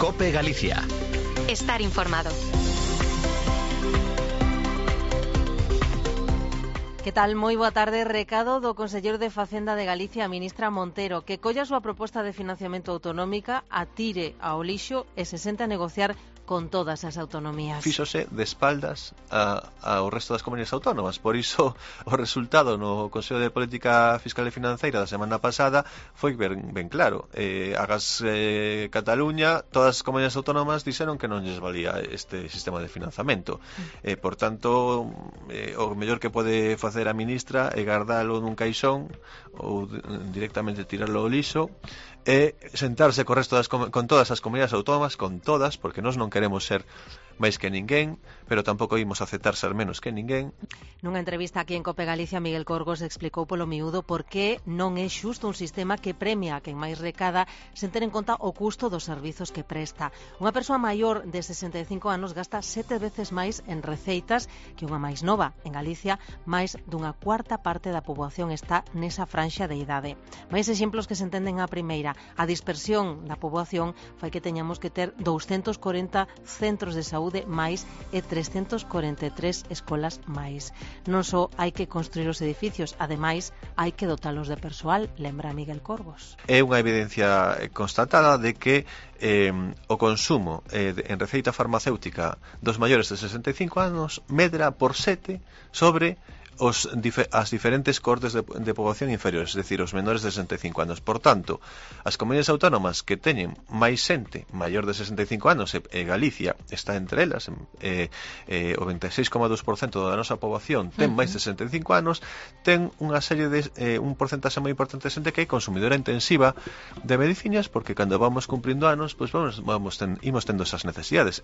COPE Galicia. Estar informado. Que tal? Moi boa tarde. Recado do conselleiro de Facenda de Galicia, a ministra Montero, que colla a súa proposta de financiamento autonómica, atire ao lixo e se sente a negociar con todas as autonomías. Fíxose de espaldas ao resto das comunidades autónomas. Por iso o resultado no Consello de Política Fiscal e Financeira da semana pasada foi ben claro. Agas Cataluña, todas as comunidades autónomas dixeron que non lles valía este sistema de financiamento. Por tanto, o mellor que pode facer a ministra é guardalo nun caixón ou directamente tirarlo ao lixo e sentarse co resto con todas as comunidades autónomas, con todas, porque nós non queremos ser máis que ninguén, pero tampouco imos aceptar ser menos que ninguén. Nunha entrevista aquí en COPE Galicia, Miguel Corgos explicou polo miúdo por que non é xusto un sistema que premia a quen máis recada sen ter en conta o custo dos servizos que presta. Unha persoa maior de 65 anos gasta 7 veces máis en receitas que unha máis nova. En Galicia, máis dunha cuarta parte da poboación está nesa franxa de idade. Máis exemplos que se entenden a primeira. A dispersión da poboación fai que teñamos que ter 240 centros de saúde máis e 343 escolas máis. Non só hai que construir os edificios, ademais hai que dotalos de persoal, lembra Miguel Corgos. É unha evidencia constatada de que o consumo en receita farmacéutica dos maiores de 65 anos medra por 7 sobre as diferentes cortes de poboación inferiores, es decir, os menores de 65 anos. Por tanto, as comunidades autónomas que teñen máis xente maior de 65 anos, e Galicia está entre elas, o 26,2% da nosa poboación ten máis de 65 anos, ten unha serie de un porcentaxe moi importante de xente que é consumidora intensiva de medicinas, porque cando vamos cumprindo anos, pois imos tendo esas necesidades.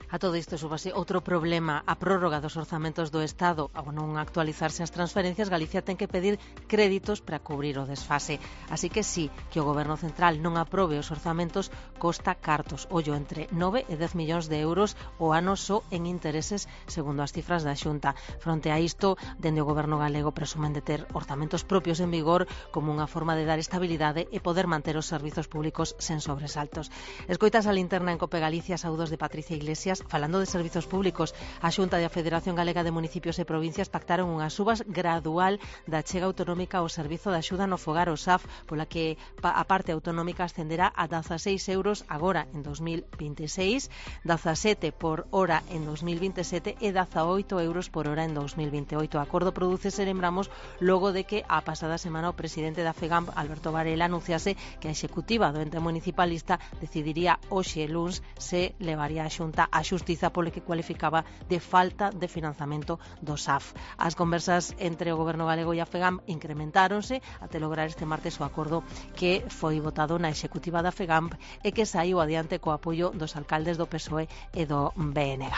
A todo isto súbase outro problema, a prórroga dos orzamentos do Estado. Ao non actualizarse as transferencias, Galicia ten que pedir créditos para cubrir o desfase. Así que sí, que o Goberno Central non aprobe os orzamentos costa cartos, ollo, entre 9 e 10 millóns de euros o ano só en intereses, segundo as cifras da Xunta. Fronte a isto, dende o Goberno galego presumen de ter orzamentos propios en vigor como unha forma de dar estabilidade e poder manter os servizos públicos sen sobresaltos. Escoitas a linterna en COPE Galicia, saúdos de Patricia Iglesias. Falando de servizos públicos, a Xunta e a Federación Galega de Municipios e Provincias pactaron unha subas gradual da chega autonómica ao Servizo de Axuda no Fogar, o SAF, pola que a parte autonómica ascenderá a 16 euros agora en 2026, 17 por hora en 2027 e 18 euros por hora en 2028. O acordo prodúcese, lembramos, logo de que a pasada semana o presidente da FEGAMP, Alberto Varela, anunciase que a executiva do ente municipalista decidiría hoxe luns se levaría a Xunta a xustiza polo que cualificaba de falta de financiamento do SAF. As conversas entre o Goberno galego e a FEGAMP incrementáronse até lograr este martes o acordo que foi votado na executiva da FEGAMP e que saiu adiante co apoio dos alcaldes do PSOE e do BNG.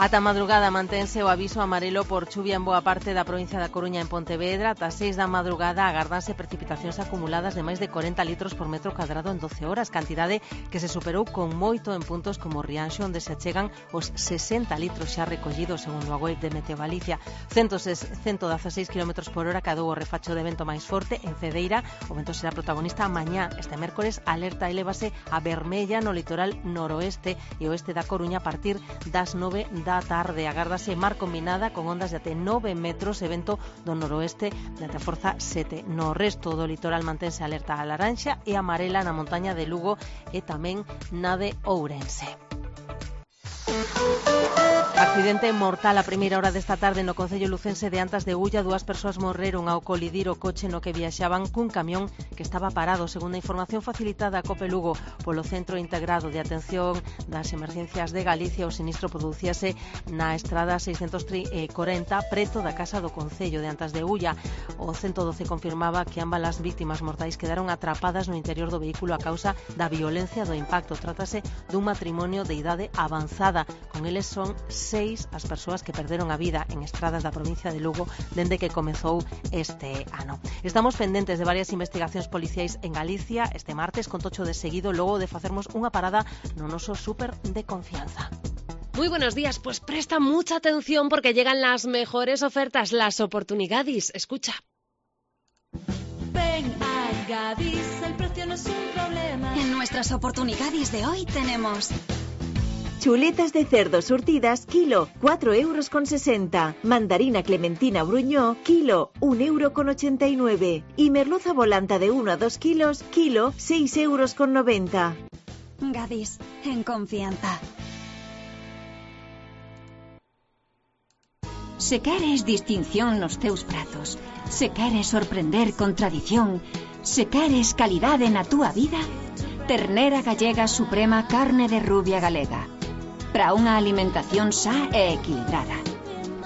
Ata madrugada mantense o aviso amarelo por chuvia en boa parte da provincia da Coruña en Pontevedra. Ata 6 da madrugada agardanse precipitacións acumuladas de máis de 40 litros por metro cuadrado en 12 horas, cantidade que se superou con moito en puntos como Rianxo, onde se achegan os 60 litros xa recollidos, segundo a web de Meteo Galicia. 116 km por hora cadou o refacho de vento máis forte en Cedeira. O vento será protagonista mañá. Este mércores alerta elevase a vermella no litoral noroeste e oeste da Coruña a partir das 9 da tarde. Agárdase mar combinada con ondas de até 9 metros e vento do noroeste de até forza 7. No resto do litoral mantense alerta a laranxa e amarela na montaña de Lugo e tamén na de Ourense. Accidente mortal a primeira hora desta tarde no concello lucense de Antas de Ulla. 2 persoas morreron ao colidir o coche no que viaxaban cun camión que estaba parado, segundo a información facilitada a COPE Lugo polo Centro Integrado de Atención das Emergencias de Galicia. O sinistro producíase na estrada 640 preto da casa do concello de Antas de Ulla. O 112 confirmaba que ambas as vítimas mortais quedaron atrapadas no interior do vehículo a causa da violencia do impacto. Trátase dun matrimonio de idade avanzada. Con eles son 6 as persoas que perderon a vida en estradas da provincia de Lugo dende que comezou este ano. Estamos pendentes de varias investigacións policiais en Galicia este martes, con tocho de seguido logo de facermos unha parada no noso súper de confianza. Muy buenos días, pues presta mucha atención porque llegan las mejores ofertas, las oportunidades. Escucha. Ven a Gadis, el precio no es un problema. En nuestras oportunidades de hoy tenemos chuletas de cerdo surtidas, kilo, 4,60 €. Mandarina clementina Bruñó, kilo, 1,89 €. Y merluza volanta de 1 a 2 kilos, kilo, 6,90 €. Gadis, en confianza. Se queres distinción nos teus pratos, se queres sorprender con tradición, se queres calidade na túa vida, ternera gallega suprema carne de rubia galega. Para unha alimentación sá e equilibrada.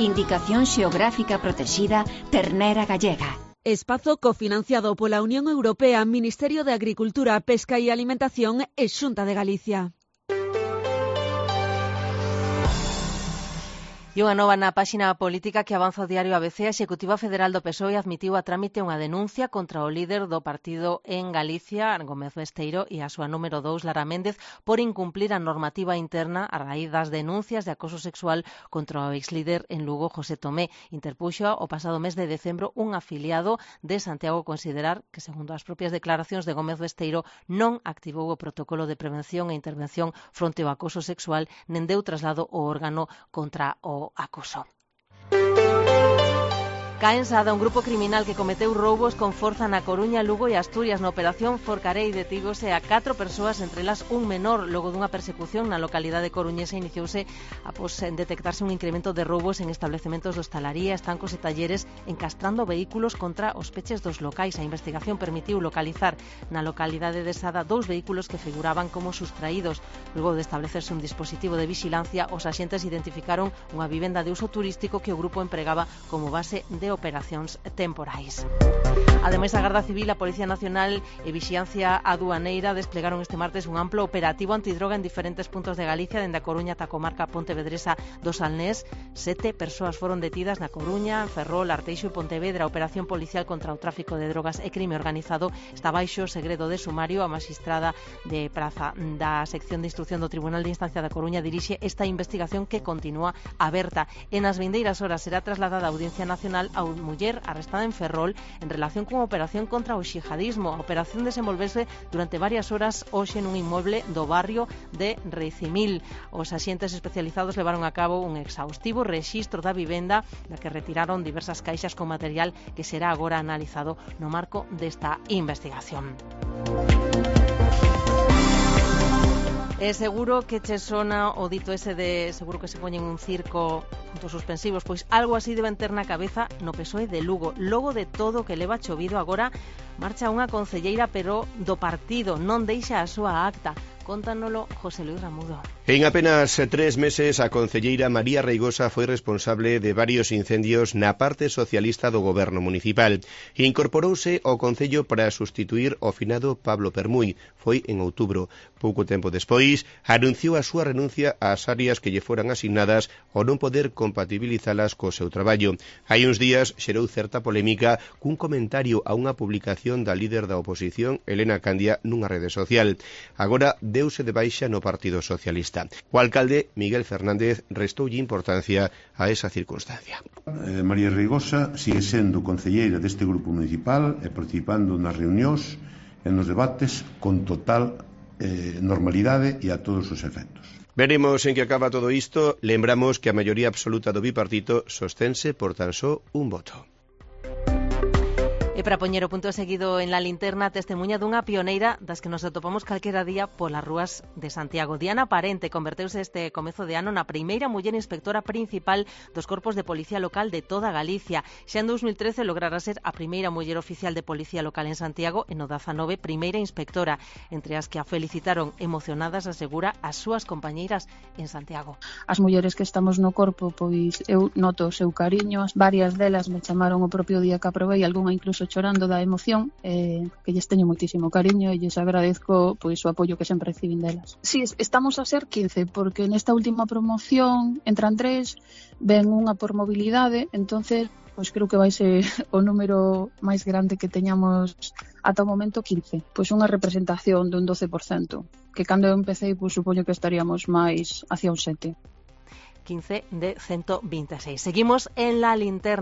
Indicación xeográfica protexida, ternera gallega. Espazo cofinanciado pola Unión Europea, Ministerio de Agricultura, Pesca e Alimentación e Xunta de Galicia. E unha nova na páxina política que avanza o diario ABC. A Executiva Federal do PSOE admitiu a trámite unha denuncia contra o líder do partido en Galicia, Gómez Besteiro, e a súa número 2, Lara Méndez, por incumplir a normativa interna a raíz das denuncias de acoso sexual contra o exlíder en Lugo, José Tomé. Interpuxo o pasado mes de decembro un afiliado de Santiago considerar que, segundo as propias declaracións de Gómez Besteiro, non activou o protocolo de prevención e intervención fronte ao acoso sexual, nen deu traslado ao órgano contra o acoso. Cae en Sada un grupo criminal que cometeu roubos con forza na Coruña, Lugo e Asturias. Na operación Forcarei detígose a 4 persoas, entre elas un menor. Logo dunha persecución na localidade coruñesa iniciouse após detectarse un incremento de roubos en establecementos de hostalaría, estancos e talleres, encastrando vehículos contra os peches dos locais. A investigación permitiu localizar na localidade de Sada 2 vehículos que figuraban como sustraídos. Logo de establecerse un dispositivo de vigilancia, os axentes identificaron unha vivenda de uso turístico que o grupo empregaba como base de operacións temporais. Ademais, a Garda Civil, a Policía Nacional e Vixiancia Aduaneira desplegaron este martes un amplo operativo antidroga en diferentes puntos de Galicia, dende a Coruña ata a comarca pontevedresa do Salnés. 7 persoas foron detidas na Coruña, Ferrol, Arteixo e Pontevedra. A operación policial contra o tráfico de drogas e crime organizado está baixo segredo de sumario. A magistrada de praza da sección de instrucción do Tribunal de Instancia da Coruña dirixe esta investigación que continúa aberta. En as vindeiras horas será trasladada a Audiencia Nacional a muller arrestada en Ferrol en relación con a operación contra o xihadismo. A operación desenvolvese durante varias horas hoxe nun inmueble do barrio de Recimil. Os axentes especializados levaron a cabo un exhaustivo rexistro da vivenda da que retiraron diversas caixas con material que será agora analizado no marco desta investigación. Seguro que che sona o dito ese de seguro que se poñen un circo puntos suspensivos, pois algo así deben ter na cabeza no PSOE de Lugo. Logo de todo o que leva chovido agora, marcha unha concelleira pero do partido, non deixa a súa acta. Cóntanolo José Luis Ramudo. En apenas 3 meses, a concelleira María Reigosa foi responsable de varios incendios na parte socialista do goberno municipal. Incorporouse ao concello para sustituir o finado Pablo Permuy. Foi en outubro. Pouco tempo despois, anunciou a súa renuncia ás áreas que lle foran asignadas ao non poder compatibilizalas co seu traballo. Hai uns días xerou certa polémica cun comentario a unha publicación da líder da oposición, Elena Candia, nunha rede social. Agora deuse de baixa no Partido Socialista. O alcalde, Miguel Fernández, restoulle importancia a esa circunstancia. María Reigosa sigue sendo concelleira deste grupo municipal e participando nas reunións e nos debates con total normalidade e a todos os efectos. Veremos en que acaba todo isto. Lembramos que a maioría absoluta do bipartito sostense por tan só un voto. E para poñer o punto seguido en la linterna, testemunha dunha pioneira das que nos atopamos calquera día polas rúas de Santiago. Diana Parente converteuse este comezo de ano na primeira muller inspectora principal dos corpos de policía local de toda Galicia. Xa en 2013 lograra ser a primeira muller oficial de policía local en Santiago e no 19 primeira inspectora. Entre as que a felicitaron emocionadas, asegura, as súas compañeiras en Santiago. As mulleres que estamos no corpo, pois eu noto o seu cariño, varias delas me chamaron o propio día que aprobei, algunha incluso chorando da emoción, que lles teño moitísimo cariño e lles agradezco pois o apoio que sempre recibín delas. Si, estamos a ser 15, porque nesta última promoción entran 3, ven unha por mobilidade, entonces pois creo que vai ser o número máis grande que teñamos ata o momento 15. Pois unha representación dun 12%, que cando eu empecé, pois supoño que estaríamos máis hacia un 7. 15 de 126. Seguimos en la linterna.